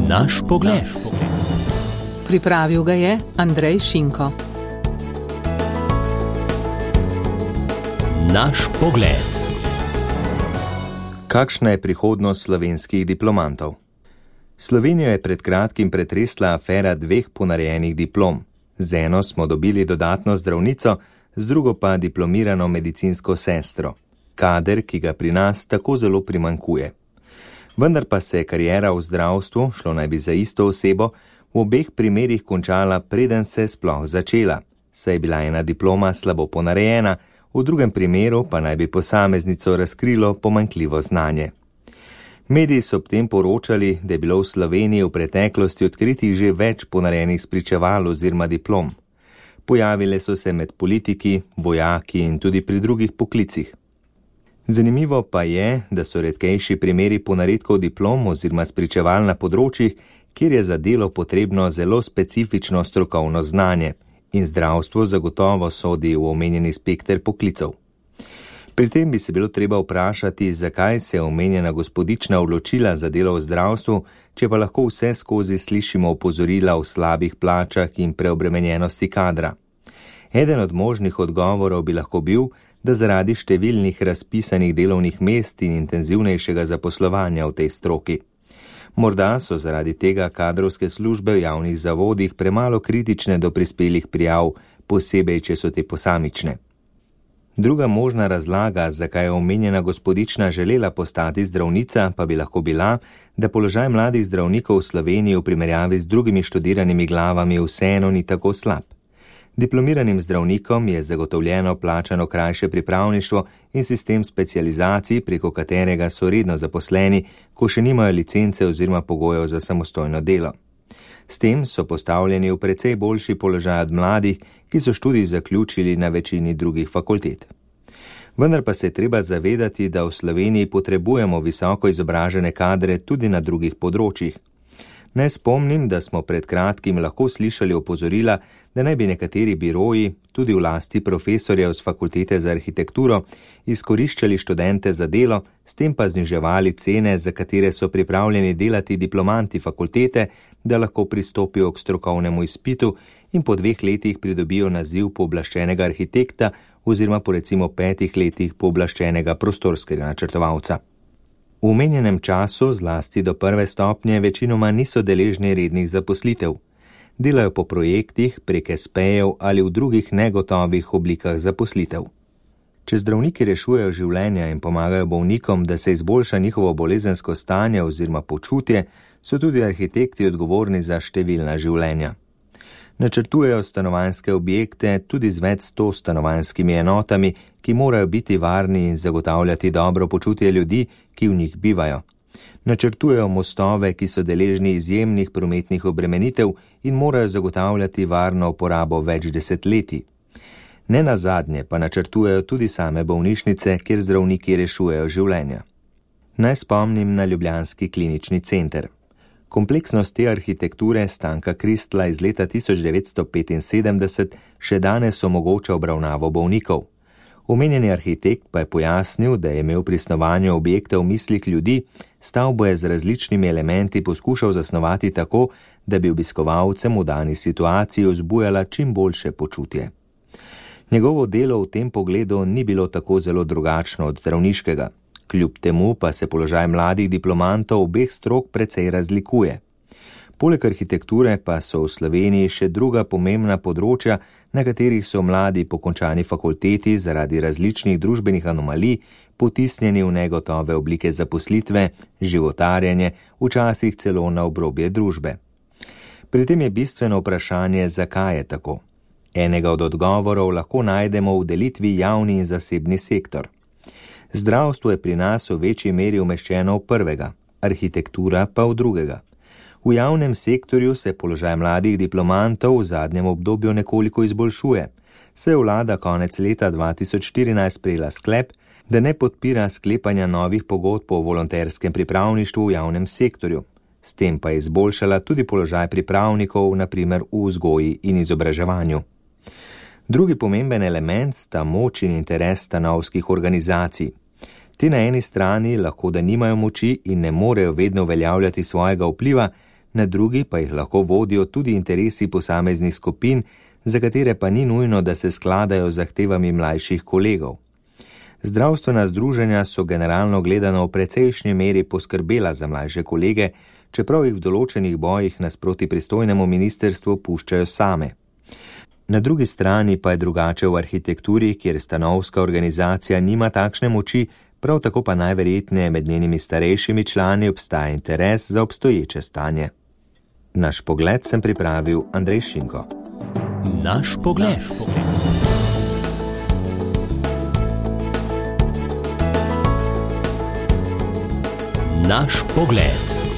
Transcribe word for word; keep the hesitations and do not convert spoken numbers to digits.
Naš pogled. Pripravil ga je Andrej Šinko. Naš pogled. Kakšna je prihodnost slovenskih diplomantov? Slovenijo je pred kratkim pretresla afera dveh ponarejenih diplom. Z eno smo dobili dodatno zdravnico, z drugo pa diplomirano medicinsko sestro. Kader, ki ga pri nas tako zelo primanjkuje. Vendar pa se je kariera v zdravstvu, šlo naj bi za isto osebo, v obeh primerih končala, preden se je sploh začela, saj je bila ena diploma slabo ponarejena, v drugem primeru pa naj bi posameznico razkrilo pomanjkljivo znanje. Mediji so ob tem poročali, da je bilo v Sloveniji v preteklosti odkritih že več ponarejenih spričeval oziroma diplom. Pojavile so se med politiki, vojaki in tudi pri drugih poklicih. Zanimivo pa je, da so redkejši primeri ponaredkov diplom oziroma spričeval na področjih, kjer je za delo potrebno zelo specifično strokovno znanje in zdravstvo zagotovo sodi v omenjeni spekter poklicev. Pri tem bi se bilo treba vprašati, zakaj se je omenjena gospodična odločila za delo v zdravstvu, če pa lahko vse skozi slišimo opozorila o slabih plačah in preobremenjenosti kadra. Eden od možnih odgovorov bi lahko bil, da zaradi številnih razpisanih delovnih mest in intenzivnejšega zaposlovanja v tej stroki. Morda so zaradi tega kadrovske službe v javnih zavodih premalo kritične do prispelih prijav, posebej, če so te posamične. Druga možna razlaga, zakaj je omenjena gospodična želela postati zdravnica, pa bi lahko bila, da položaj mladih zdravnikov v Sloveniji v primerjavi z drugimi študiranimi glavami vseeno ni tako slab. Diplomiranim zdravnikom je zagotovljeno plačano krajše pripravništvo in sistem specializacij, preko katerega so redno zaposleni, ko še nimajo licence oziroma pogojev za samostojno delo. S tem so postavljeni v precej boljši položaj od mladih, ki so študij zaključili na večini drugih fakultet. Vendar pa se je treba zavedati, da v Sloveniji potrebujemo visoko izobražene kadre tudi na drugih področjih. Naj spomnim, da smo pred kratkim lahko slišali opozorila, da naj bi nekateri biroji, tudi v lasti profesorjev z fakultete za arhitekturo, izkoriščali študente za delo, s tem pa zniževali cene, za katere so pripravljeni delati diplomanti fakultete, da lahko pristopijo k strokovnemu izpitu in po dveh letih pridobijo naziv pooblaščenega arhitekta oziroma po recimo petih letih pooblaščenega prostorskega načrtovalca. V omenjenem času, zlasti do prve stopnje, večinoma niso deležni rednih zaposlitev. Delajo po projektih, prek espejev ali v drugih negotovih oblikah zaposlitev. Če zdravniki rešujejo življenja in pomagajo bolnikom, da se izboljša njihovo bolezensko stanje oziroma počutje, so tudi arhitekti odgovorni za številna življenja. Načrtujejo stanovanjske objekte tudi z več sto stanovanjskimi enotami, ki morajo biti varni in zagotavljati dobro počutje ljudi, ki v njih bivajo. Načrtujejo mostove, ki so deležni izjemnih prometnih obremenitev in morajo zagotavljati varno uporabo več desetletij. Ne nazadnje pa načrtujejo tudi same bolnišnice, kjer zdravniki rešujejo življenja. Naj spomnim na ljubljanski klinični center. Kompleksnost te arhitekture Stanka Kristla iz leta tisoč devetsto petinsedemdeset še danes omogoča obravnavo bolnikov. Omenjeni arhitekt pa je pojasnil, da je imel pri snovanju objekta v mislih ljudi, stavbo je z različnimi elementi poskušal zasnovati tako, da bi obiskovalcem v dani situaciji vzbujala čim boljše počutje. Njegovo delo v tem pogledu ni bilo tako zelo drugačno od zdravniškega. Kljub temu pa se položaj mladih diplomantov obeh strok precej razlikuje. Poleg arhitekture pa so v Sloveniji še druga pomembna področja, na katerih so mladi po končani fakulteti zaradi različnih družbenih anomalij potisnjeni v negotove oblike zaposlitve, životarjenje, včasih celo na obrobje družbe. Pri tem je bistveno vprašanje, zakaj je tako. Enega od odgovorov lahko najdemo v delitvi javni in zasebni sektor. Zdravstvo je pri nas v večji meri umeščeno v prvega, arhitektura pa v drugega. V javnem sektorju se položaj mladih diplomantov v zadnjem obdobju nekoliko izboljšuje, saj je vlada konec leta dva tisoč štirinajst sprejela sklep, da ne podpira sklepanja novih pogodb o volonterskem pripravništvu v javnem sektorju. S tem pa je izboljšala tudi položaj pripravnikov, na primer v vzgoji in izobraževanju. Drugi pomemben element sta moč in interes stanovskih organizacij. Ti na eni strani lahko da nimajo moči in ne morejo vedno uveljavljati svojega vpliva, na drugi pa jih lahko vodijo tudi interesi posameznih skupin, za katere pa ni nujno, da se skladajo z zahtevami mlajših kolegov. Zdravstvena združenja so generalno gledano v precejšnji meri poskrbela za mlajše kolege, čeprav jih v določenih bojih nasproti pristojnemu ministrstvu puščajo same. Na drugi strani pa je drugače v arhitekturi, kjer stanovska organizacija nima takšne moči, prav tako pa najverjetneje med njenimi starejšimi člani obstaja interes za obstoječe stanje. Naš pogled sem pripravil Andrej Šinko. Naš pogled. Naš pogled.